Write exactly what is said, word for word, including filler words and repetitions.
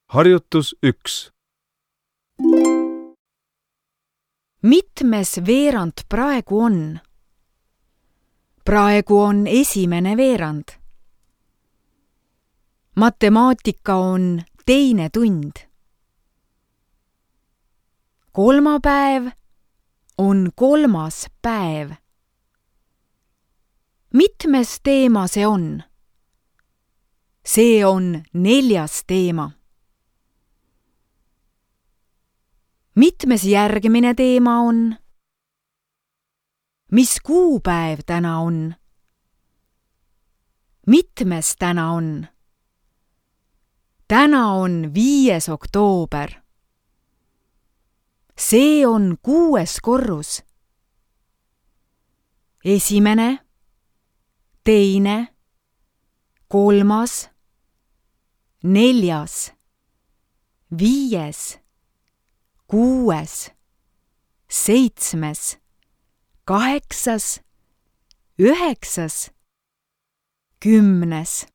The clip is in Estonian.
Harjutus üks. Mitmes veerand praegu on? Praegu on esimene veerand. Matemaatika on teine tund. Kolmapäev on kolmas päev. Mitmes teema see on? See on neljas teema. Mitmes järgmine teema on? Mis kuupäev täna on? Mitmes täna on? Täna on viies oktoober. See on kuues korrus. Esimene, teine, kolmas, neljas, viies, kuues, seitsmes, kaheksas, üheksas, kümnes.